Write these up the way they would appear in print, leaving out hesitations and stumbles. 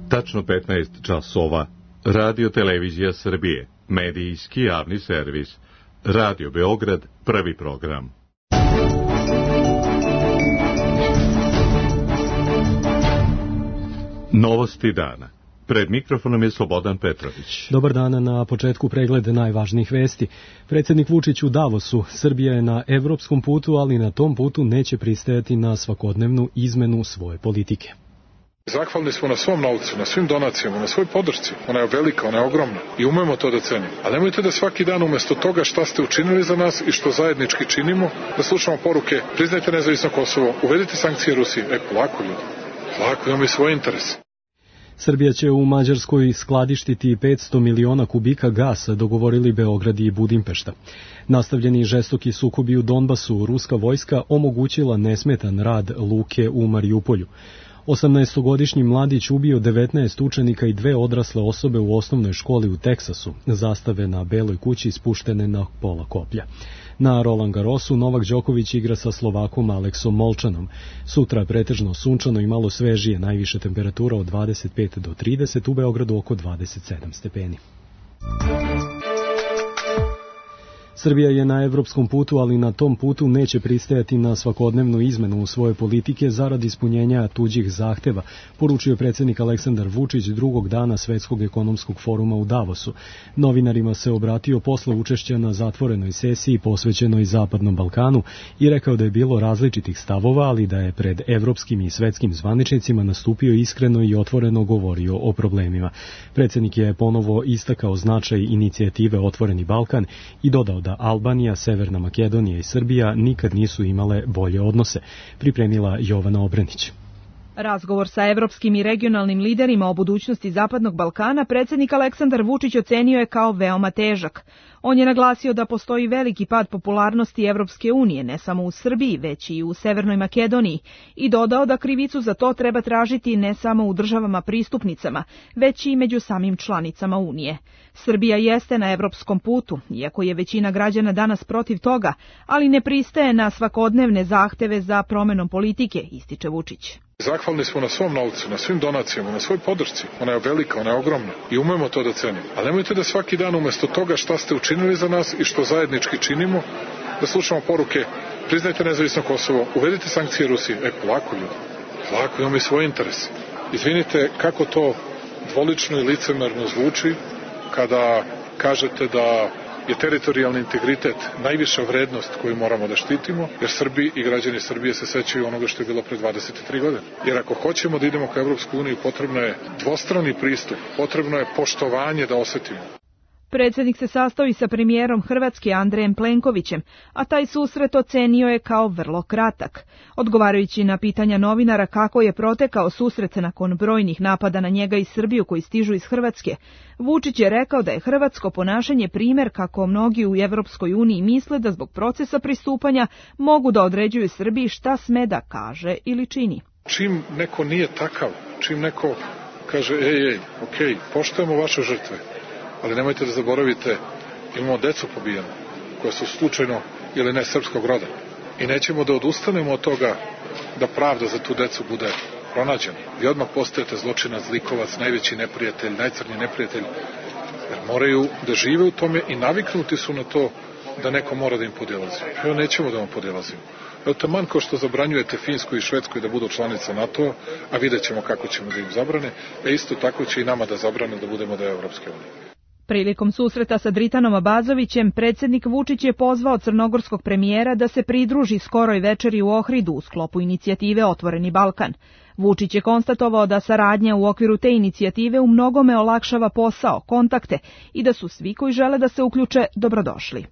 Tačno 15 časova. Radio Televizija Srbije. Medijski javni servis. Radio Beograd, prvi program. Novosti dana. Pred mikrofonom je Slobodan Petrović. Dobar dan, na početku pregled najvažnijih vesti. Predsjednik Vučić u Davosu. Srbija je na evropskom putu, ali na tom putu neće pristajati na svakodnevnu izmenu svoje politike. Zahvalni smo na svom novcu, na svim donacijama, na svoj podršci. Ona je velika, ona je ogromna i umemo to da cenimo. Ali nemojte da svaki dan umjesto toga šta ste učinili za nas i što zajednički činimo, da slušamo poruke, priznajte nezavisno Kosovo, uvedite sankcije Rusiji. Polako ljudi, polako, imamo i svoje interese. Srbija će u Mađarskoj skladištiti 500 miliona kubika gasa, dogovorili Beograd i Budimpešta. Nastavljeni žestoki sukobi u Donbasu, ruska vojska omogućila nesmetan rad luke u Marijupolju. 18-godišnji mladić ubio 19 učenika i 2 odrasle osobe u osnovnoj školi u Teksasu. Zastave na Beloj kući spuštene na pola koplja. Na Roland Garrosu Novak Đoković igra sa Slovakom Aleksom Molčanom. Sutra pretežno sunčano i malo svežije, najviše temperatura od 25 do 30, u Beogradu oko 27 stepeni. Srbija je na evropskom putu, ali na tom putu neće pristajati na svakodnevnu izmenu u svoje politike zarad ispunjenja tuđih zahteva, poručio predsjednik Aleksandar Vučić drugog dana Svetskog ekonomskog foruma u Davosu. Novinarima se obratio posle učešća na zatvorenoj sesiji posvećenoj Zapadnom Balkanu i rekao da je bilo različitih stavova, ali da je pred evropskim i svetskim zvaničnicima nastupio iskreno i otvoreno govorio o problemima. Predsjednik je ponovo istakao značaj inicijative Otvoreni Balkan i dodao da Albanija, Severna Makedonija i Srbija nikad nisu imale bolje odnose, pripremila Jovana Obrenić. Razgovor sa evropskim i regionalnim liderima o budućnosti Zapadnog Balkana predsjednik Aleksandar Vučić ocenio je kao veoma težak. On je naglasio da postoji veliki pad popularnosti Evropske unije, ne samo u Srbiji, već i u Severnoj Makedoniji, i dodao da krivicu za to treba tražiti ne samo u državama pristupnicama, već i među samim članicama Unije. Srbija jeste na evropskom putu, iako je većina građana danas protiv toga, ali ne pristaje na svakodnevne zahteve za promenom politike, ističe Vučić. Zahvalni smo na svom novcu, na svim donacijama, na svoj podršci. Ona je velika, ona je ogromna i umemo to da cenimo. Ali nemojte da svaki dan umjesto toga šta ste učinili za nas i što zajednički činimo, da slušamo poruke, priznajte nezavisno Kosovo, uvedite sankcije Rusiji. Polako ljudi, polako, imamo i svoje interese. Izvinite kako to dvolično i licemerno zvuči kada kažete da je teritorijalni integritet najviša vrednost koju moramo da štitimo, jer Srbi i građani Srbije se sećaju onoga što je bilo pre 23 godine. Jer ako hoćemo da idemo ka Evropskoj uniji, potrebno je dvostrani pristup, potrebno je poštovanje da osetimo. Predsjednik se sastao i sa premijerom Hrvatske Andrejem Plenkovićem, a taj susret ocenio je kao vrlo kratak. Odgovarajući na pitanja novinara kako je protekao susret nakon brojnih napada na njega i Srbiju koji stižu iz Hrvatske, Vučić je rekao da je hrvatsko ponašanje primjer kako mnogi u Evropskoj uniji misle da zbog procesa pristupanja mogu da određuju Srbiji šta sme da kaže ili čini. Čim neko nije takav, čim neko kaže okej, poštujemo vaše žrtve, ali nemojte da zaboravite, imamo decu pobijenu, koja su slučajno ili ne srpskog roda. I nećemo da odustanemo od toga da pravda za tu decu bude pronađena. Vi odmah postajete zločinac, zlikovac, najveći neprijatelj, najcrnji neprijatelj, jer moraju da žive u tome i naviknuti su na to da neko mora da im podilazi. Nećemo da vam podilazimo. Taman kao što zabranjujete Finskoj i Švedskoj da budu članice NATO, a vidjet ćemo kako ćemo da im zabrane, isto tako će i nama da zabrane da budemo deo Evropske unije. Prilikom susreta sa Dritanom Abazovićem, predsjednik Vučić je pozvao crnogorskog premijera da se pridruži skoroj večeri u Ohridu u sklopu inicijative Otvoreni Balkan. Vučić je konstatovao da saradnja u okviru te inicijative u mnogome olakšava posao, kontakte i da su svi koji žele da se uključe dobrodošli.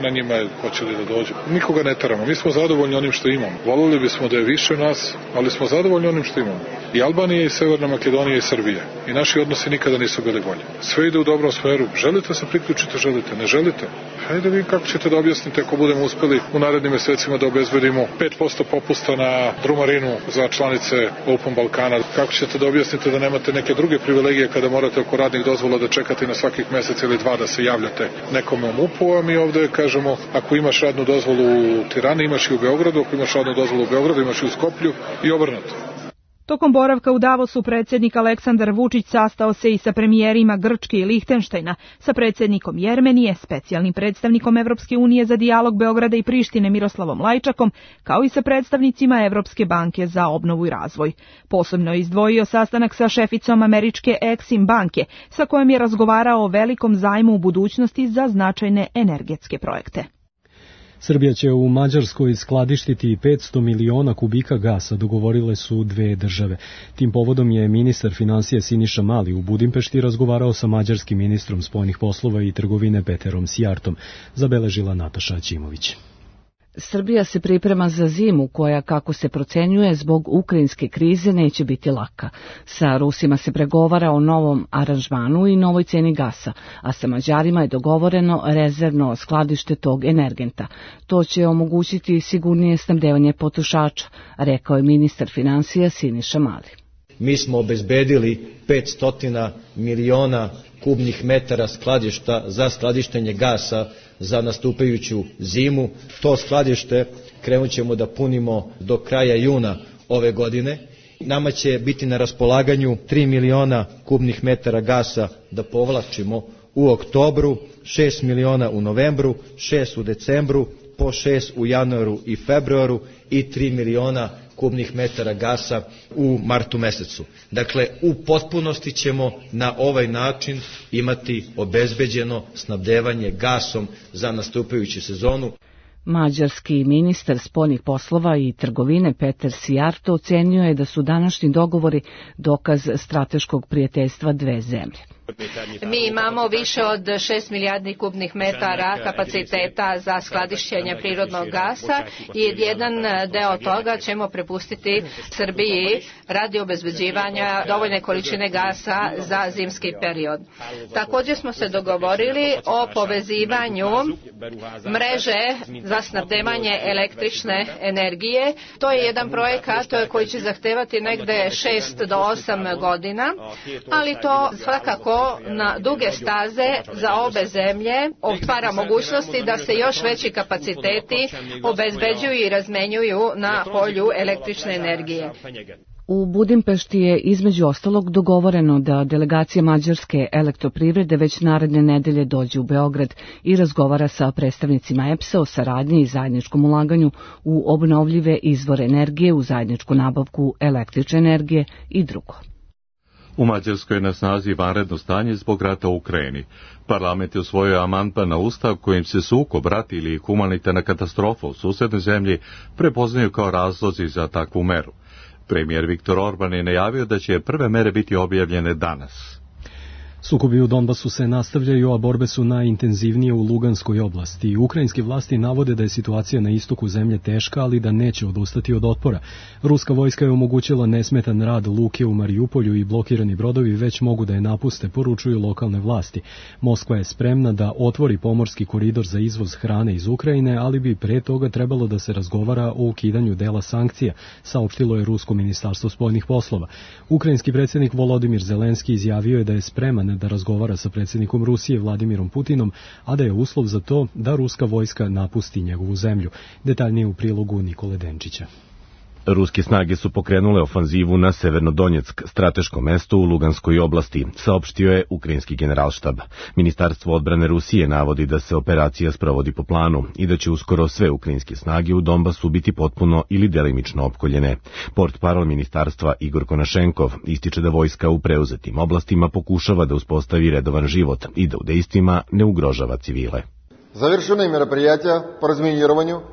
Na njima je hoćeli da dođu. Nikoga ne teramo, mi smo zadovoljni onim što imamo. Volili bismo da je više nas, ali smo zadovoljni onim što imamo. I Albanija, i Severna Makedonija, i Srbija. I naši odnosi nikada nisu bili bolji. Sve ide u dobrom smeru. Želite se priključiti, želite, ne želite. Hajde vi kako ćete da objasnite ako budemo uspeli u narednim mesecima da obezbedimo 5% popusta na drumarinu za članice Open Balkana. Kako ćete da objasnite da nemate neke druge privilegije kada morate oko radnih dozvola da čekate na svakih mesec ili dva da se javljate nekome u MUP-u, a mi ovde kažemo ako imaš radnu dozvolu u Tirani, imaš i u Beogradu, ako imaš radnu dozvolu u Beogradu, imaš i u Skoplju i obrnuto. Tokom boravka u Davosu predsjednik Aleksandar Vučić sastao se i sa premijerima Grčke i Lihtenštajna, sa predsjednikom Jermenije, specijalnim predstavnikom Evropske unije za dijalog Beograda i Prištine Miroslavom Lajčakom, kao i sa predstavnicima Evropske banke za obnovu i razvoj. Posebno je izdvojio sastanak sa šeficom američke Exim banke, sa kojom je razgovarao o velikom zajmu u budućnosti za značajne energetske projekte. Srbija će u Mađarskoj skladištiti 500 miliona kubika gasa, dogovorile su dve države. Tim povodom je ministar finansija Siniša Mali u Budimpešti razgovarao sa mađarskim ministrom spoljnih poslova i trgovine Peterom Sijartom, zabeležila Nataša Ćimović. Srbija se priprema za zimu koja, kako se procenjuje, zbog ukrajinske krize neće biti laka. Sa Rusima se pregovara o novom aranžmanu i novoj ceni gasa, a sa Mađarima je dogovoreno rezervno skladište tog energenta. To će omogućiti sigurnije snabdevanje potrošača, rekao je ministar finansija Siniša Mali. Mi smo obezbedili 500 miliona kubnih metara skladišta za skladištenje gasa za nastupajuću zimu. To skladište krenut ćemo da punimo do kraja juna ove godine. Nama će biti na raspolaganju 3 miliona kubnih metara gasa da povlačimo u oktobru, 6 miliona u novembru, 6 u decembru, po 6 u januaru i februaru i 3 miliona kubnih metara gasa u martu mesecu. Dakle, u potpunosti ćemo na ovaj način imati obezbeđeno snabdevanje gasom za nastupajuću sezonu. Mađarski ministar spoljnih poslova i trgovine Peter Sijarto ocenio je da su današnji dogovori dokaz strateškog prijateljstva dve zemlje. Mi imamo više od 6 milijardi kubnih metara kapaciteta za skladištenje prirodnog gasa i jedan deo toga ćemo prepustiti Srbiji radi obezbeđivanja dovoljne količine gasa za zimski period. Također smo se dogovorili o povezivanju mreže za snabdevanje električne energije. To je jedan projekat koji će zahtevati negde 6 do 8 godina, ali to svakako na duge staze za obe zemlje otvara mogućnosti da se još veći kapaciteti obezbeđuju i razmenjuju na polju električne energije. U Budimpešti je između ostalog dogovoreno da delegacija Mađarske elektroprivrede već naredne nedelje dođe u Beograd i razgovara sa predstavnicima EPS-a o saradnji i zajedničkom ulaganju u obnovljive izvore energije, u zajedničku nabavku električne energije i drugo. U Mađarskoj je na snazi vanredno stanje zbog rata u Ukrajini. Parlament je usvojio amandman na ustav kojim se sukob, rat ili humanitarna katastrofa u susednoj zemlji prepoznaju kao razlozi za takvu meru. Premijer Viktor Orban je najavio da će prve mere biti objavljene danas. Sukobi u Donbasu se nastavljaju, a borbe su najintenzivnije u Luganskoj oblasti. Ukrajinski vlasti navode da je situacija na istoku zemlje teška, ali da neće odustati od otpora. Ruska vojska je omogućila nesmetan rad luke u Marijupolju i blokirani brodovi već mogu da je napuste, poručuju lokalne vlasti. Moskva je spremna da otvori pomorski koridor za izvoz hrane iz Ukrajine, ali bi pre toga trebalo da se razgovara o ukidanju dela sankcija, saopštilo je Rusko ministarstvo spoljnih poslova. Ukrajinski predsjednik Volodimir Zelenski izjavio je da je spreman da razgovara sa predsjednikom Rusije Vladimirom Putinom, a da je uslov za to da ruska vojska napusti njegovu zemlju. Detaljnije u prilogu Nikole Denčića. Ruske snage su pokrenule ofanzivu na Severnodonjeck, strateško mesto u Luganskoj oblasti, saopštio je ukrajinski generalštab. Ministarstvo odbrane Rusije navodi da se operacija sprovodi po planu i da će uskoro sve ukrajinske snage u Donbasu biti potpuno ili delimično opkoljene. Portparol ministarstva Igor Konašenkov ističe da vojska u preuzetim oblastima pokušava da uspostavi redovan život i da u dejstvima ne ugrožava civile.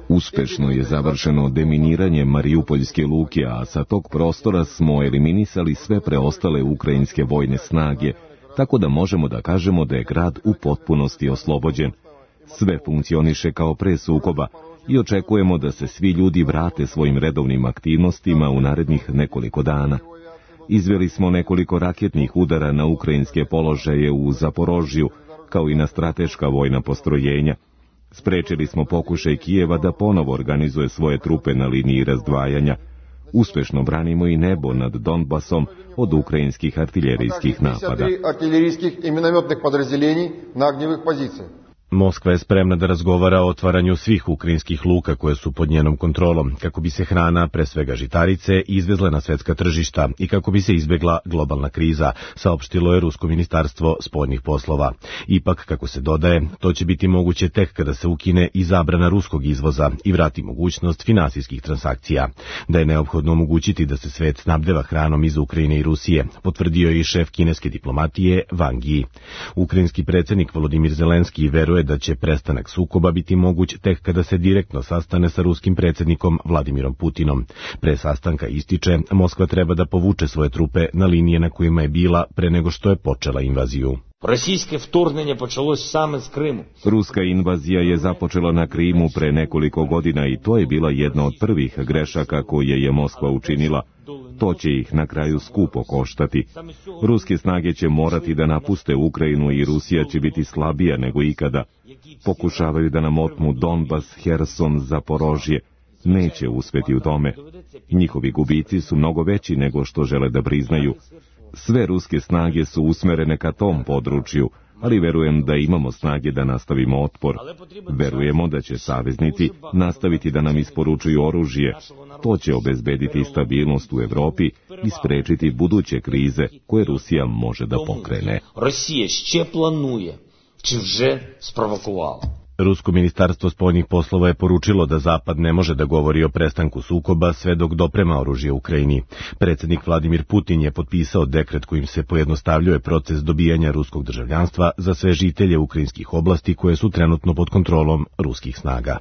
Uspešno je završeno deminiranje Mariupoljske luke, a sa tog prostora smo eliminisali sve preostale ukrajinske vojne snage, tako da možemo da kažemo da je grad u potpunosti oslobođen. Sve funkcioniše kao pre sukoba i očekujemo da se svi ljudi vrate svojim redovnim aktivnostima u narednih nekoliko dana. Izveli smo nekoliko raketnih udara na ukrajinske položaje u Zaporožju, kao i na strateška vojna postrojenja. Sprečili smo pokušaj Kijeva da ponovo organizuje svoje trupe na liniji razdvajanja. Uspešno branimo i nebo nad Donbasom od ukrajinskih artiljerijskih napada. Moskva je spremna da razgovara o otvaranju svih ukrajinskih luka koje su pod njenom kontrolom, kako bi se hrana, pre svega žitarice, izvezla na svetska tržišta i kako bi se izbegla globalna kriza, saopštilo je Rusko ministarstvo spoljnih poslova. Ipak, kako se dodaje, to će biti moguće tek kada se ukine i zabrana ruskog izvoza i vrati mogućnost finansijskih transakcija. Da je neophodno omogućiti da se svet snabdeva hranom iz Ukrajine i Rusije, potvrdio je i šef kineske diplomatije Wang Yi. Ukrajinski predsjednik Volodimir Zelenski veruje da će prestanak sukoba biti moguć tek kada se direktno sastane sa ruskim predsjednikom Vladimirom Putinom. Pre sastanka ističe, Moskva treba da povuče svoje trupe na linije na kojima je bila pre nego što je počela invaziju. Ruska invazija je započela na Krimu pre nekoliko godina i to je bila jedna od prvih grešaka koje je Moskva učinila. To će ih na kraju skupo koštati. Ruske snage će morati da napuste Ukrajinu i Rusija će biti slabija nego ikada. Pokušavaju da nam otmu Donbas, Herson, Zaporožje. Neće uspeti u tome. Njihovi gubici su mnogo veći nego što žele da priznaju. Sve ruske snage su usmerene ka tom području, ali verujem da imamo snage da nastavimo otpor. Verujemo da će saveznici nastaviti da nam isporučuju oružje. To će obezbediti stabilnost u Evropi i sprečiti buduće krize koje Rusija može da pokrene. Rusko ministarstvo spoljnih poslova je poručilo da Zapad ne može da govori o prestanku sukoba sve dok doprema oružje Ukrajini. Predsjednik Vladimir Putin je potpisao dekret kojim se pojednostavljuje proces dobijanja ruskog državljanstva za sve žitelje ukrajinskih oblasti koje su trenutno pod kontrolom ruskih snaga.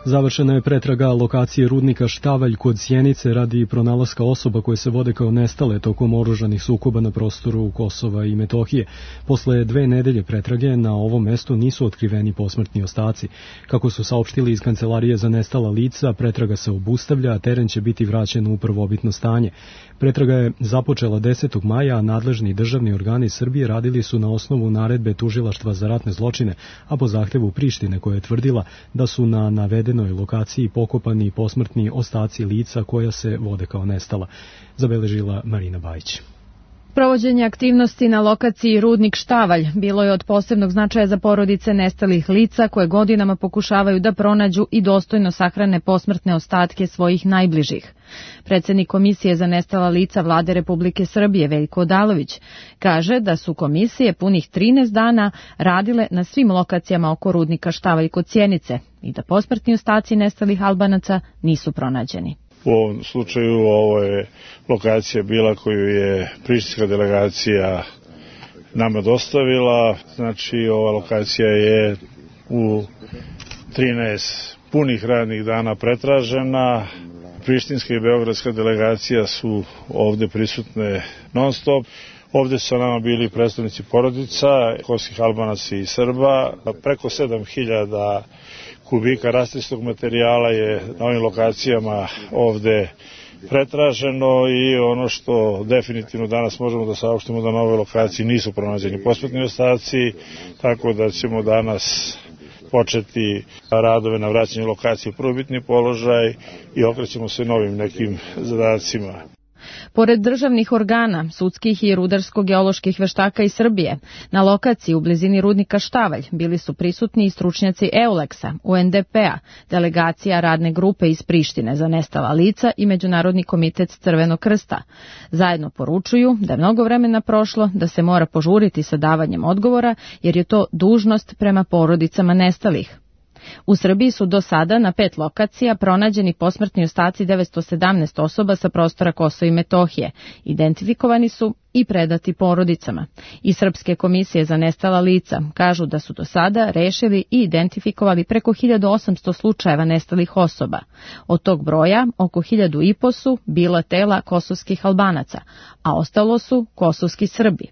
Završena je pretraga lokacije rudnika Štavalj kod Sjenice radi pronalaska osoba koje se vode kao nestale tokom oružanih sukoba na prostoru Kosova i Metohije. Posle 2 nedelje pretrage na ovom mestu nisu otkriveni posmrtni ostaci. Kako su saopštili iz Kancelarije za nestala lica, pretraga se obustavlja, a teren će biti vraćen u prvobitno stanje. Pretraga je započela 10. maja, a nadležni državni organi Srbije radili su na osnovu naredbe Tužilaštva za ratne zločine, a po zahtevu Prištine koja je tvrdila da su na navedenoj lokaciji pokopani posmrtni ostaci lica koja se vode kao nestala, zabeležila Marina Bajić. Provođenje aktivnosti na lokaciji rudnik Štavalj bilo je od posebnog značaja za porodice nestalih lica koje godinama pokušavaju da pronađu i dostojno sahrane posmrtne ostatke svojih najbližih. Predsjednik Komisije za nestala lica Vlade Republike Srbije Veljko Odalović kaže da su komisije punih 13 dana radile na svim lokacijama oko rudnika Štavalj kod Sjenice i da posmrtni ostaci nestalih Albanaca nisu pronađeni. U ovom slučaju ovo je lokacija bila koju je prištinska delegacija nama dostavila. Znači ova lokacija je u 13 punih radnih dana pretražena. Prištinska i beogradska delegacija su ovde prisutne non stop. Ovde su sa nama bili predstavnici porodica, kosovskih Albanaca i Srba. Preko 7000 kubika rastrisnog materijala je na ovim lokacijama ovde pretraženo i ono što definitivno danas možemo da saopštimo da na ovoj lokaciji nisu pronađeni posmrtni ostaci, tako da ćemo danas početi radove na vraćanju lokacije u prvobitni položaj i okrećemo se novim nekim zadacima. Pored državnih organa, sudskih i rudarsko-geoloških veštaka iz Srbije, na lokaciji u blizini rudnika Štavalj bili su prisutni i stručnjaci EULEX-a, UNDP-a, delegacija radne grupe iz Prištine za nestala lica i Međunarodni komitet Crvenog krsta. Zajedno poručuju da je mnogo vremena prošlo, da se mora požuriti sa davanjem odgovora, jer je to dužnost prema porodicama nestalih. U Srbiji su do sada na 5 lokacija pronađeni posmrtni ostaci 917 osoba sa prostora Kosova i Metohije. Identifikovani su i predati porodicama. I Srpske komisije za nestala lica kažu da su do sada rešili i identifikovali preko 1800 slučajeva nestalih osoba. Od tog broja oko 1500 su bila tela kosovskih Albanaca, a ostalo su kosovski Srbi.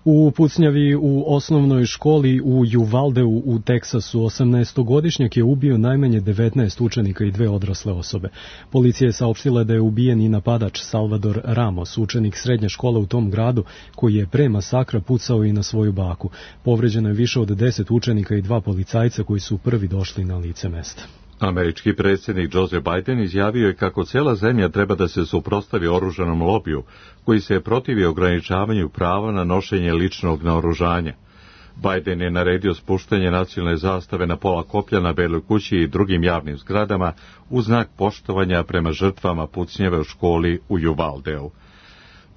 U pucnjavi u osnovnoj školi u Uvaldeu u Teksasu 18-godišnjak je ubio najmanje 19 učenika i 2 odrasle osobe. Policija je saopštila da je ubijen i napadač Salvador Ramos, učenik srednje škole u tom gradu, koji je pre masakra pucao i na svoju baku. Povređeno je više od 10 učenika i 2 policajca koji su prvi došli na lice mesta. Američki predsjednik Joe Biden izjavio je kako cela zemlja treba da se suprotstavi oružanom lobiju, koji se protivi ograničavanju prava na nošenje ličnog naoružanja. Biden je naredio spuštanje nacionalne zastave na pola koplja na Beloj kući i drugim javnim zgradama u znak poštovanja prema žrtvama pucnjeve u školi u Uvaldeu.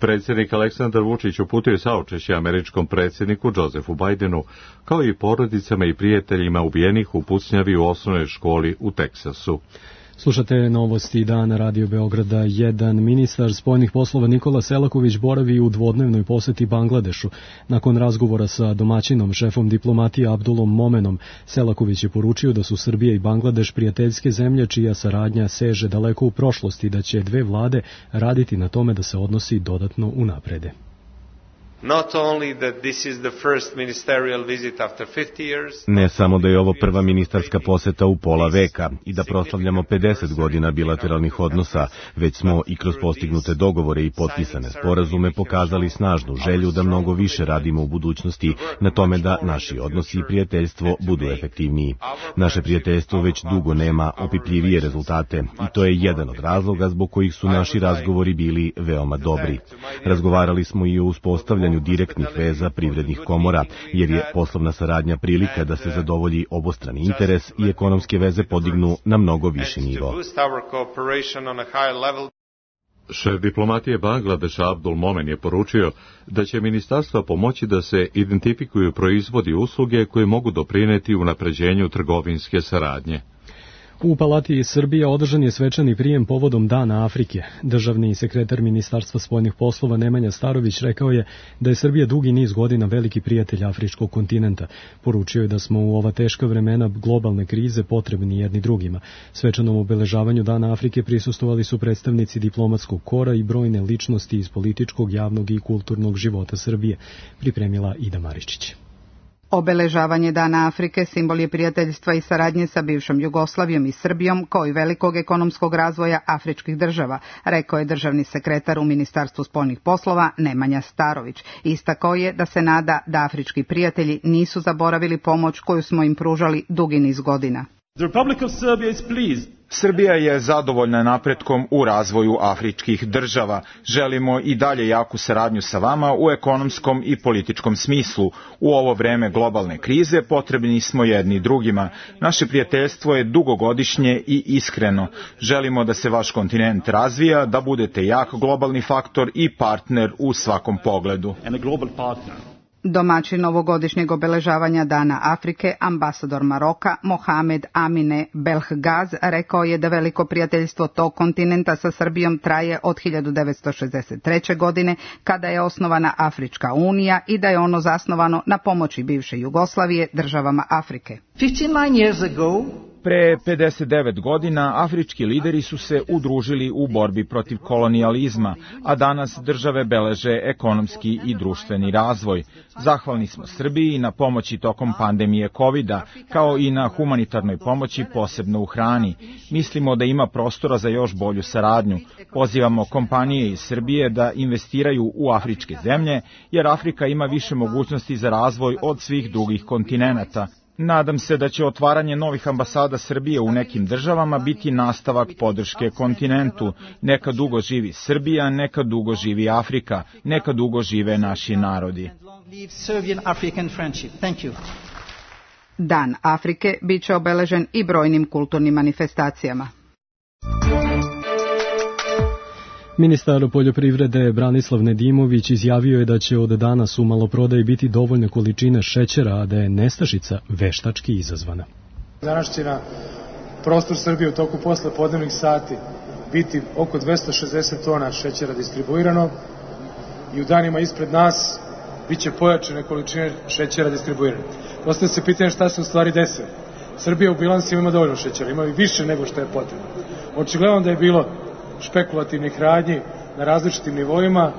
Predsjednik Aleksandar Vučić uputio je saučešće američkom predsjedniku Josephu Bidenu, kao i porodicama i prijateljima ubijenih u pucnjavi u osnovnoj školi u Teksasu. Slušate novosti dana Radio Beograda 1. Ministar spoljnih poslova Nikola Selaković boravi u dvodnevnoj poseti Bangladešu. Nakon razgovora sa domaćinom, šefom diplomatije Abdulom Momenom, Selaković je poručio da su Srbija i Bangladeš prijateljske zemlje čija saradnja seže daleko u prošlosti i da će dve vlade raditi na tome da se odnosi dodatno unaprede. Ne samo da je ovo prva ministarska poseta u pola veka i da proslavljamo 50 godina bilateralnih odnosa, već smo i kroz postignute dogovore i potpisane sporazume pokazali snažnu želju da mnogo više radimo u budućnosti na tome da naši odnosi i prijateljstvo budu efektivniji. Naše prijateljstvo već dugo nema opipljivije rezultate i to je jedan od razloga zbog kojih su naši razgovori bili veoma dobri. Razgovarali smo i o uspostavljanju direktnih veza privrednih komora, jer je poslovna saradnja prilika da se zadovolji obostrani interes i ekonomske veze podignu na mnogo viši nivo. Šef diplomatije Bangladeša Abdul Momen je poručio da će ministarstva pomoći da se identifikuju proizvodi i usluge koje mogu doprineti unapređenju trgovinske saradnje. U Palati Srbije održan je svečani prijem povodom Dana Afrike. Državni sekretar Ministarstva spoljnih poslova Nemanja Starović rekao je da je Srbija dugi niz godina veliki prijatelj afričkog kontinenta. Poručio je da smo u ova teška vremena globalne krize potrebni jedni drugima. Svečanom obeležavanju Dana Afrike prisustvovali su predstavnici diplomatskog kora i brojne ličnosti iz političkog, javnog i kulturnog života Srbije, pripremila Ida Maričić. Obeležavanje Dana Afrike simbol je prijateljstva i saradnje sa bivšom Jugoslavijom i Srbijom, kao i velikog ekonomskog razvoja afričkih država, rekao je državni sekretar u Ministarstvu spoljnih poslova Nemanja Starović. Istakao je da se nada da afrički prijatelji nisu zaboravili pomoć koju smo im pružali dugi niz godina. Srbija je zadovoljna napretkom u razvoju afričkih država. Želimo i dalje jaku saradnju sa vama u ekonomskom i političkom smislu. U ovo vreme globalne krize potrebni smo jedni drugima. Naše prijateljstvo je dugogodišnje i iskreno. Želimo da se vaš kontinent razvija, da budete jak globalni faktor i partner u svakom pogledu. Domaćin ovogodišnjeg obeležavanja Dana Afrike, ambasador Maroka Mohamed Amine Belhgaz, rekao je da veliko prijateljstvo tog kontinenta sa Srbijom traje od 1963. godine, kada je osnovana Afrička unija, i da je ono zasnovano na pomoći bivše Jugoslavije državama Afrike. 59 years ago, pre 59 godina afrički lideri su se udružili u borbi protiv kolonijalizma, a danas države beleže ekonomski i društveni razvoj. Zahvalni smo Srbiji na pomoći tokom pandemije COVID-a, kao i na humanitarnoj pomoći, posebno u hrani. Mislimo da ima prostora za još bolju saradnju. Pozivamo kompanije iz Srbije da investiraju u afričke zemlje, jer Afrika ima više mogućnosti za razvoj od svih drugih kontinenata. Nadam se da će otvaranje novih ambasada Srbije u nekim državama biti nastavak podrške kontinentu. Neka dugo živi Srbija, neka dugo živi Afrika, neka dugo žive naši narodi. Dan Afrike bit će obeležen i brojnim kulturnim manifestacijama. Ministar poljoprivrede Branislav Nedimović izjavio je da će od danas u maloprodaji biti dovoljne količine šećera, a da je nestašica veštački izazvana. Danas će na prostor Srbije u toku poslepodnevnih sati biti oko 260 tona šećera distribuirano i u danima ispred nas biće pojačane količine šećera distribuirane. Postavlja se pitanje šta se u stvari desilo. Srbija u bilansima ima dovoljno šećera, ima i više nego što je potrebno. Očigledno da je bilo špekulativnih radnji na različitim nivoima,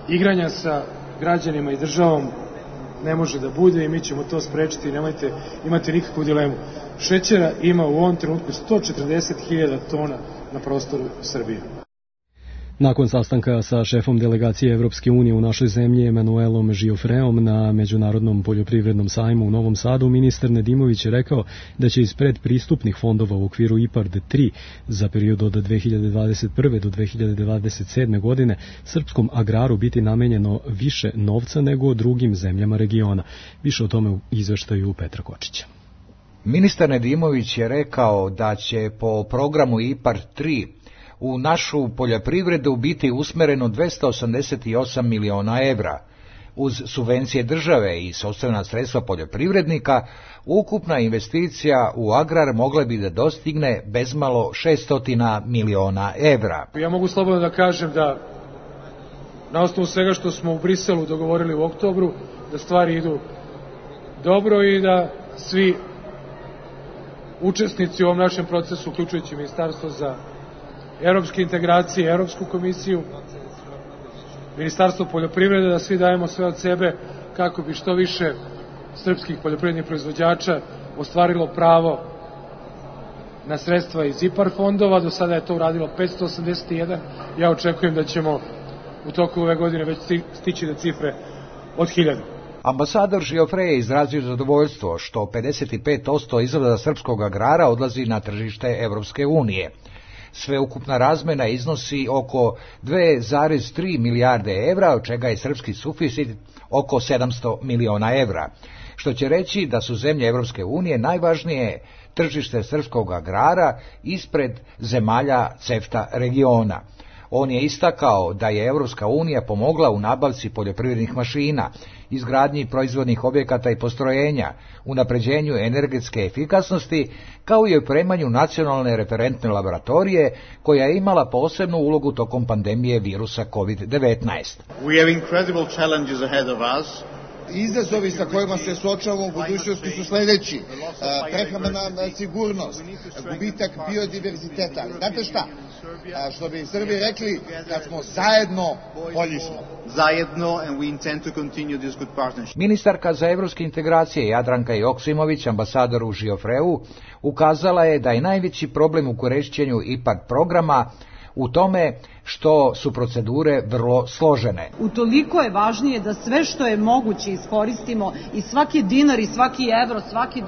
igranja sa građanima i državom ne može da bude i mi ćemo to sprečiti, nemojte imati nikakvu dilemu. Šećera ima u ovom trenutku 140.000 tona na prostoru Srbije. Nakon sastanka sa šefom delegacije Evropske unije u našoj zemlji Emanuelom Giofreom na Međunarodnom poljoprivrednom sajmu u Novom Sadu, ministar Nedimović je rekao da će iz predpristupnih fondova u okviru IPARD 3 za period od 2021. do 2027. godine srpskom agraru biti namenjeno više novca nego drugim zemljama regiona. Više o tome u izveštaju Petra Kočića. Ministar Nedimović je rekao da će po programu IPARD 3 u našu poljoprivredu biti usmereno 288 miliona evra. Uz subvencije države i sopstvena sredstva poljoprivrednika, ukupna investicija u agrar mogla bi da dostigne bezmalo 600 miliona evra. Ja mogu slobodno da kažem da na osnovu svega što smo u Briselu dogovorili u oktobru, da stvari idu dobro i da svi učesnici u ovom našem procesu, uključujući Ministarstvo za evropske integracije, Evropsku komisiju, Ministarstvo poljoprivrede, da svi dajemo sve od sebe kako bi što više srpskih poljoprivrednih proizvođača ostvarilo pravo na sredstva iz IPARD fondova. Do sada je to uradilo 581. Ja očekujem da ćemo u toku ove godine već stići do cifre od 1000. Ambasador Giofre je izrazio zadovoljstvo što 55% izvoza srpskog agrara odlazi na tržište Evropske unije. Sveukupna razmena iznosi oko 2,3 milijarde evra, od čega je srpski suficit oko 700 miliona evra, što će reći da su zemlje Evropske unije najvažnije tržište srpskog agrara ispred zemalja CEFTA regiona. On je istakao da je Evropska unija pomogla u nabavci poljoprivrednih mašina, izgradnji proizvodnih objekata i postrojenja, unapređenju energetske efikasnosti, kao i opremanju nacionalne referentne laboratorije, koja je imala posebnu ulogu tokom pandemije virusa COVID-19. We have incredible challenges ahead of us. Izazovi sa kojima se suočavamo u budućnosti su sledeći. Prehrambena sigurnost, gubitak biodiverziteta. Znate šta? Što bi Srbi rekli, kad smo zajedno, bolji smo. Zajedno, and we intend to continue this good partnership. Ministarka za evropske integracije Jadranka Joksimović, ambasadoru Giofreu, ukazala je da je najveći problem u korišćenju IPARD programa u tome što su procedure vrlo složene. Utoliko je važnije da sve što je moguće iskoristimo i svaki dinar i svaki evro, svaki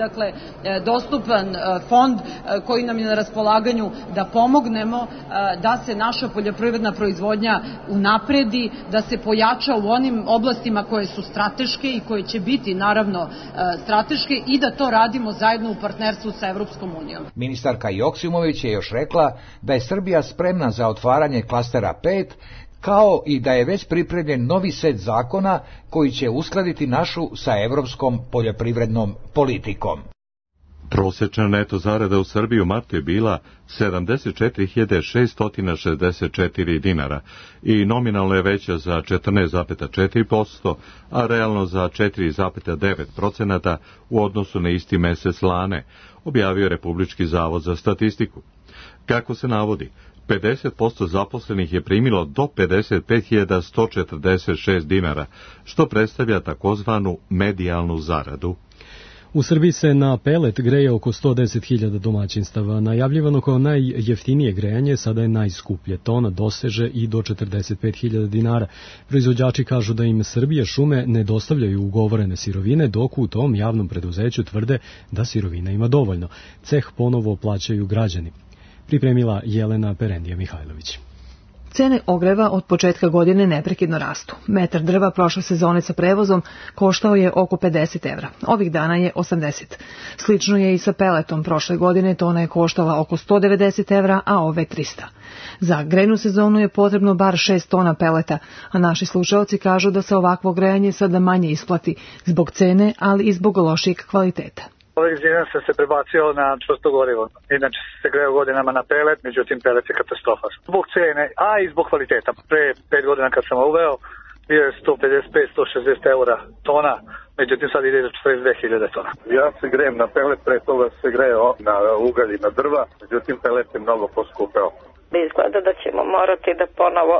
dostupan fond koji nam je na raspolaganju, da pomognemo da se naša poljoprivredna proizvodnja unapredi, da se pojača u onim oblastima koje su strateške i koje će biti naravno strateške i da to radimo zajedno u partnerstvu sa Evropskom unijom. Ministarka Joksimović je još rekla da je Srbija spremna za otvaranje klastera 5, kao i da je već pripremljen novi set zakona koji će uskladiti našu sa evropskom poljoprivrednom politikom. Prosječna neto zarada u Srbiji u martu je bila 74.664 dinara i nominalno je veća za 14,4%, a realno za 4,9% u odnosu na isti mesec lane, objavio Republički zavod za statistiku. Kako se navodi, 50% zaposlenih je primilo do 55.146 dinara, što predstavlja takozvanu medijalnu zaradu. U Srbiji se na pelet greje oko 110.000 domaćinstava. Najavljivano kao najjeftinije grejanje sada je najskuplje. Tona doseže i do 45.000 dinara. Proizvođači kažu da im Srbije šume ne dostavljaju ugovorene sirovine, dok u tom javnom preduzeću tvrde da sirovina ima dovoljno. Ceh ponovo plaćaju građani. Pripremila Jelena Perendija Mihajlović. Cene ogreva od početka godine neprekidno rastu. Metar drva prošle sezone sa prevozom koštao je oko 50 evra. Ovih dana je 80. Slično je i sa peletom. Prošle godine tona je koštala oko 190 evra, a ove 300. Za grejnu sezonu je potrebno bar 6 tona peleta, a naši slušaoci kažu da se ovakvo grejanje sada manje isplati zbog cene, ali i zbog lošijeg kvaliteta. Ove zime sam se prebacio na čvrsto gorivo. Inače se greo godinama na pelet, međutim pelet je katastrofa. Zbog cene, a i zbog kvaliteta. Pre 5 godina kad sam uveo, bio je 155-160 eura tona, međutim sad ide za 42.000 tona. Ja se grejem na pelet, pre toga se greo na ugalj i na drva, međutim pelet je mnogo poskupeo. Izgleda da ćemo morati da ponovo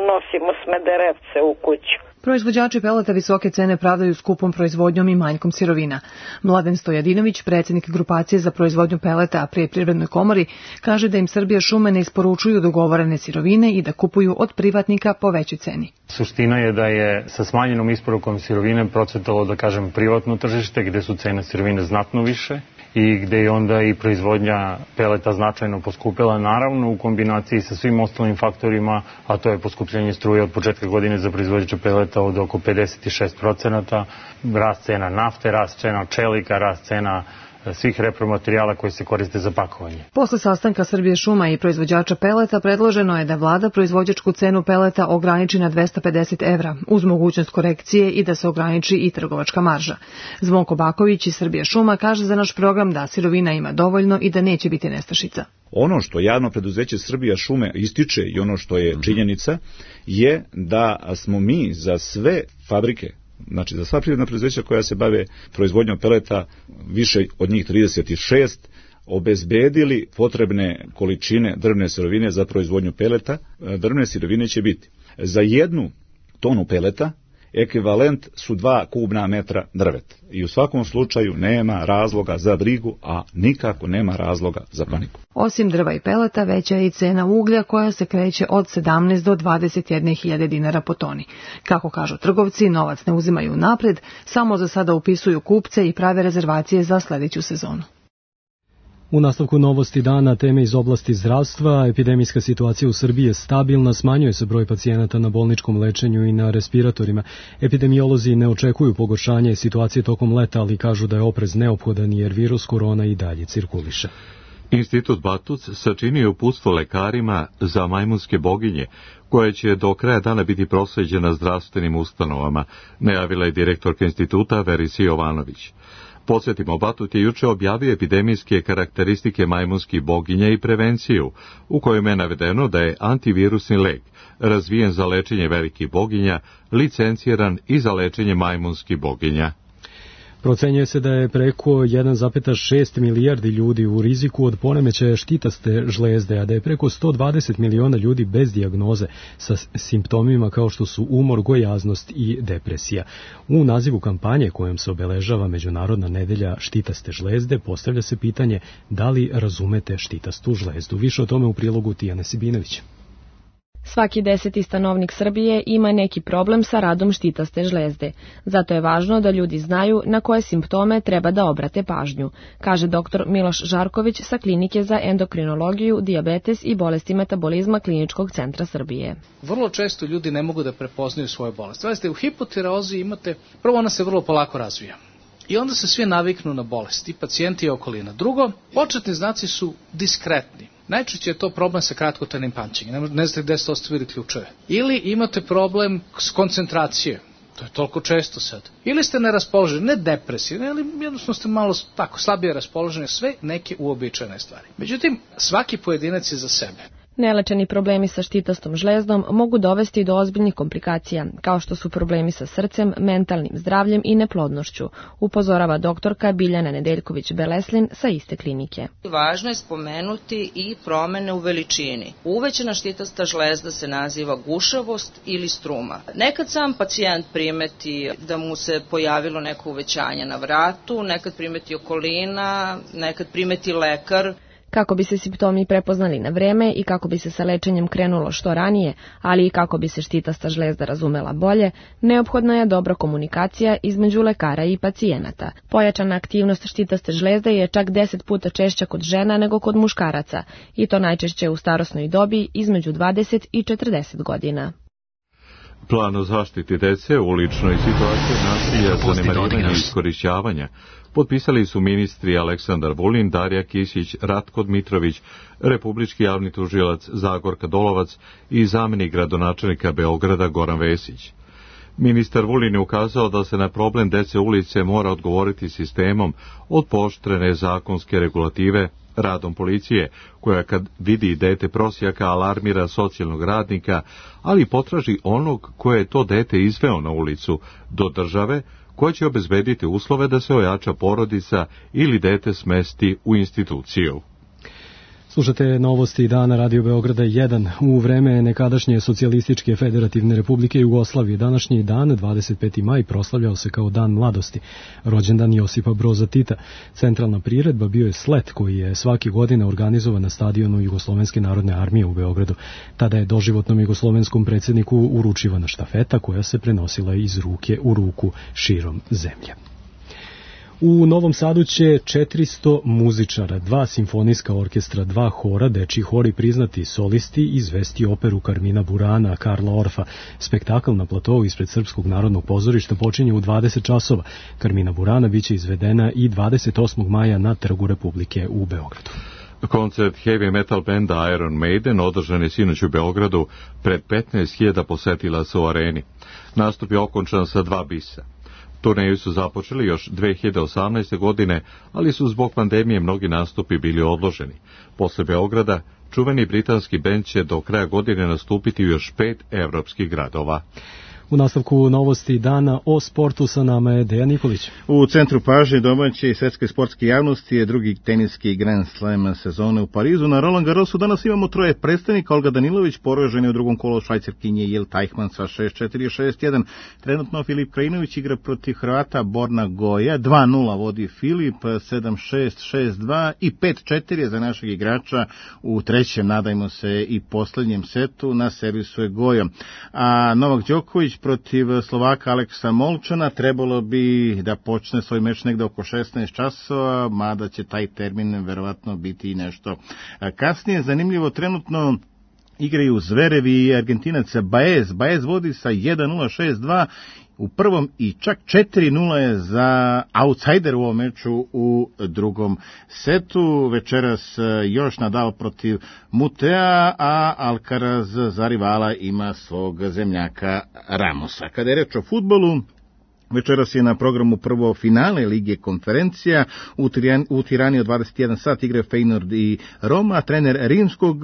unosimo smederevce u kuću. Proizvođači peleta visoke cene pravdaju skupom proizvodnjom i manjkom sirovina. Mladen Stojadinović, predsjednik grupacije za proizvodnju peleta pri Privrednoj komori, kaže da im Srbija šume ne isporučuju dogovorene sirovine i da kupuju od privatnika po većoj ceni. Suština je da je sa smanjenom isporukom sirovine procvetalo, da kažem, privatno tržište gde su cene sirovine znatno više i gde je onda i proizvodnja peleta značajno poskupila, naravno u kombinaciji sa svim ostalim faktorima, a to je poskupljenje struje od početka godine za proizvođače peleta od oko 56%, rast cena nafte, rast cena čelika, rast cena svih repromaterijala koji se koriste za pakovanje. Posle sastanka Srbije šuma i proizvođača peleta predloženo je da vlada proizvođačku cenu peleta ograniči na 250 evra, uz mogućnost korekcije i da se ograniči i trgovačka marža. Zvonko Baković iz Srbije šuma kaže za naš program da sirovina ima dovoljno i da neće biti nestašica. Ono što javno preduzeće Srbija šume ističe i ono što je činjenica je da smo mi za sve fabrike, znači za sva privredna preduzeća koja se bave proizvodnjom peleta, više od njih 36, obezbedili potrebne količine drvne sirovine za proizvodnju peleta. Drvne sirovine će biti za 1 tonu peleta ekvivalent su 2 kubna metra drveta. I u svakom slučaju nema razloga za brigu, a nikako nema razloga za paniku. Osim drva i peleta, veća je i cena uglja koja se kreće od 17 do 21.000 dinara po toni. Kako kažu trgovci, novac ne uzimaju napred, samo za sada upisuju kupce i prave rezervacije za sledeću sezonu. U nastavku novosti dana, teme iz oblasti zdravstva, epidemijska situacija u Srbiji je stabilna, smanjuje se broj pacijenata na bolničkom lečenju i na respiratorima. Epidemiolozi ne očekuju pogoršanje situacije tokom leta, ali kažu da je oprez neophodan jer virus korona i dalje cirkuliše. Institut Batuc sačinio uputstvo lekarima za majmunske boginje, koje će do kraja dana biti prosleđena zdravstvenim ustanovama, najavila je direktorka instituta Verisi Jovanović. Podsjetimo, Batut je juče objavio epidemijske karakteristike majmunskih boginja i prevenciju, u kojem je navedeno da je antivirusni lek, razvijen za lečenje velikih boginja, licenciran i za lečenje majmunskih boginja. Procenjuje se da je preko 1,6 milijardi ljudi u riziku od poremećaja štitaste žlezde, a da je preko 120 miliona ljudi bez dijagnoze sa simptomima kao što su umor, gojaznost i depresija. U nazivu kampanje kojom se obeležava Međunarodna nedelja štitaste žlezde postavlja se pitanje da li razumete štitastu žlezdu. Više o tome u prilogu Tijane Sibinović. Svaki 10. stanovnik Srbije ima neki problem sa radom štitaste žlezde. Zato je važno da ljudi znaju na koje simptome treba da obrate pažnju, kaže dr. Miloš Žarković sa Klinike za endokrinologiju, dijabetes i bolesti metabolizma Kliničkog centra Srbije. Vrlo često ljudi ne mogu da prepoznaju svoje bolesti. Znate, u hipotireozi imate, prvo ona se vrlo polako razvija. I onda se svi naviknu na bolest, i pacijenti i okolina. Drugo, početni znaci su diskretni. Najčešće je to problem sa kratkotrajnim pamćenjem, ne znate gde ste ostavili ključeve. Ili imate problem s koncentracije, to je toliko često sad. Ili ste neraspoloženi, ne depresivni, ali jednostavno ste malo tako slabije raspoloženi, sve neke uobičajene stvari. Međutim, svaki pojedinac je za sebe. Nelečeni problemi sa štitastom žlezdom mogu dovesti do ozbiljnih komplikacija, kao što su problemi sa srcem, mentalnim zdravljem i neplodnošću, upozorava doktorka Biljana Nedeljković-Beleslin sa iste klinike. Važno je spomenuti i promene u veličini. Uvećana štitasta žlezda se naziva gušavost ili struma. Nekad sam pacijent primeti da mu se pojavilo neko uvećanje na vratu, nekad primeti okolina, nekad primeti lekar. Kako bi se simptomi prepoznali na vreme i kako bi se sa lečenjem krenulo što ranije, ali i kako bi se štitasta žlezda razumela bolje, neophodna je dobra komunikacija između lekara i pacijenata. Pojačana aktivnost štitaste žlezde je čak 10 puta češća kod žena nego kod muškaraca, i to najčešće u starosnoj dobi između 20 i 40 godina. Plan o zaštiti dece u uličnoj situaciji nasilja, zanemarivanja i iskorišćavanja potpisali su ministri Aleksandar Vulin, Darija Kisić, Ratko Dmitrović, republički javni tužilac Zagorka Dolovac i zamenik gradonačelnika Beograda Goran Vesić. Ministar Vulin je ukazao da se na problem dece ulice mora odgovoriti sistemom od pooštrene zakonske regulative, radom policije, koja kad vidi dete prosjaka alarmira socijalnog radnika, ali potraži onog koje je to dete izveo na ulicu, do države, koja će obezbediti uslove da se ojača porodica ili dete smesti u instituciju. Slušate novosti dana Radio Beograda 1. U vreme nekadašnje socijalističke federativne republike Jugoslavije današnji dan, 25. maj, proslavljao se kao dan mladosti. Rođendan Josipa Broza Tita. Centralna priredba bio je slet koji je svake godine organizovan na stadionu Jugoslovenske narodne armije u Beogradu. Tada je doživotnom jugoslovenskom predsjedniku uručivana štafeta koja se prenosila iz ruke u ruku širom zemlje. U Novom Sadu će 400 muzičara, 2 simfonijska orkestra, 2 hora, dečji hor i priznati solisti izvesti operu Karmina Burana, Karla Orfa. Spektakl na platovu ispred Srpskog narodnog pozorišta počinje u 20 časova. Karmina Burana biće izvedena i 28. maja na Trgu Republike u Beogradu. Koncert heavy metal benda Iron Maiden održan je sinoć u Beogradu pred 15.000 posetilaca u areni. Nastup je okončan sa 2 bisa. Turneju su započeli još 2018. godine, ali su zbog pandemije mnogi nastupi bili odloženi. Posle Beograda, čuveni britanski bend će do kraja godine nastupiti u još 5 evropskih gradova. U nastavku novosti dana o sportu sa nama je Dejan Nikolić. U centru pažnje domaće i svetske sportske javnosti je drugi teniski Grand Slam sezone u Parizu. Na Roland Garrosu danas imamo 3 predstavnika. Olga Danilović poražena je u drugom kolu Švajcarkinje Jil Tajhman sa 6-4 i 6-1. Trenutno Filip Krajinović igra protiv Hrvata Borna Goja. 2-0 vodi Filip, 7-6, 6-2 i 5-4 je za našeg igrača u trećem, nadajmo se, i posljednjem setu. Na servisu je Goja. A Novak Đoković protiv Slovaka Aleksa Molčana trebalo bi da počne svoj meč negde oko 16 časova, mada će taj termin verovatno biti i nešto kasnije. Zanimljivo, trenutno igraju Zverev i Argentinac Baez. Baez vodi sa 1-0, 6-2 u prvom i čak 4-0 je za outsider u ovom meču u drugom setu. Večeras još Nadal protiv Mutea, a Alcaraz za rivala ima svog zemljaka Ramosa. Kada je reč o fudbalu, večeras je na programu prvo finale Lige konferencija. U Tirani od 21 sat igra Feyenoord i Roma. Trener rimskog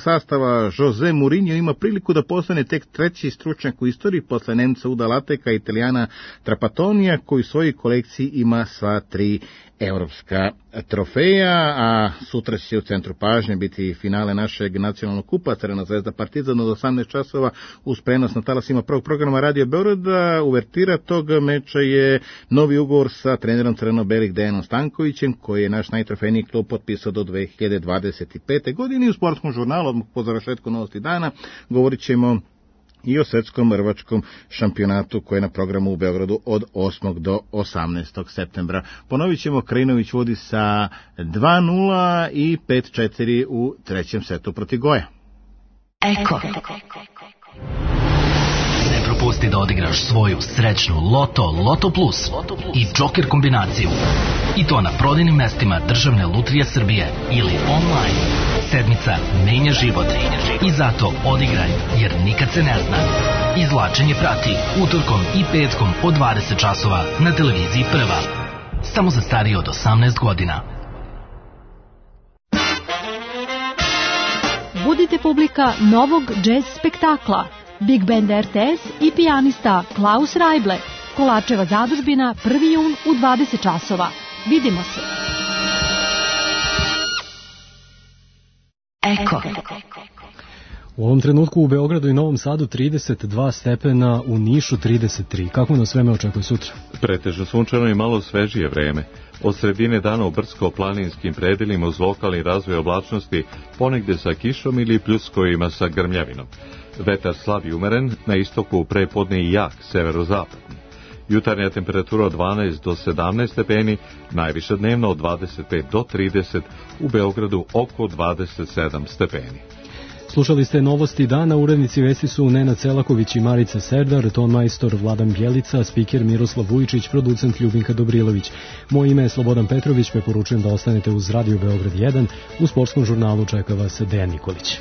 sastava Jose Mourinho ima priliku da postane tek treći stručnjak u istoriji posle Nemca Uda Lateka i Italijana Trapatonija, koji u svojoj kolekciji ima sva 3 evropska trofeja, a sutra će u centru pažnje biti finale našeg nacionalnog kupa Crvena zvezda Partizan od 18 časova uz prenos na talasima prvog programa Radio Beograda. Uvertira tog meča je novi ugovor sa trenerom crveno-belih Dejanom Stankovićem, koji je naš najtrofejniji klub potpisao do 2025. godine. U sportskom žurnalu, odmah po završetku novosti dana, govorit ćemo i o svetskom rvačkom šampionatu koji je na programu u Beogradu od 8. do 18. septembra. Ponovit ćemo, Krajinović vodi sa 2-0 i 5-4 u trećem setu protiv Goja. Eko. Ne propusti da odigraš svoju srećnu Loto Plus i Joker kombinaciju. I to na prodajnim mestima Državne lutrije Srbije ili online. Sedmica menja život. I zato odigraj, jer nikad se ne zna. Izvlačenje prati utorkom i petkom od 20 časova na televiziji Prva. Samo za starije od 18 godina. Budite publika novog džez spektakla. Big Band RTS i pijanista Klaus Rajble. Kolačeva zadužbina 1. jun u 20 časova. Vidimo se. Eko. U ovom trenutku u Beogradu i Novom Sadu 32 stepena, u Nišu 33. Kako nas vreme očekuje sutra? Pretežno sunčano i malo svežije vreme. Od sredine dana u brdsko-planinskim predelima uz lokalni razvoj oblačnosti, ponegde sa kišom ili pljuskovima sa grmljavinom. Vetar slab i umeren, na istoku prepodne i jak, severozapadni. Jutarnja temperatura od 12 do 17 stepeni, najviša dnevno od 25 do 30, u Beogradu oko 27 stepeni. Slušali ste novosti dana, urednici vesti su Nenad Selaković i Marica Serdar, ton majstor Vladan Bjelica, spiker Miroslav Vujičić, producent Ljubinka Dobrilović. Moje ime je Slobodan Petrović, preporučujem da ostanete uz Radio Beograd 1, u sportskom žurnalu čeka vas Dejan Nikolić.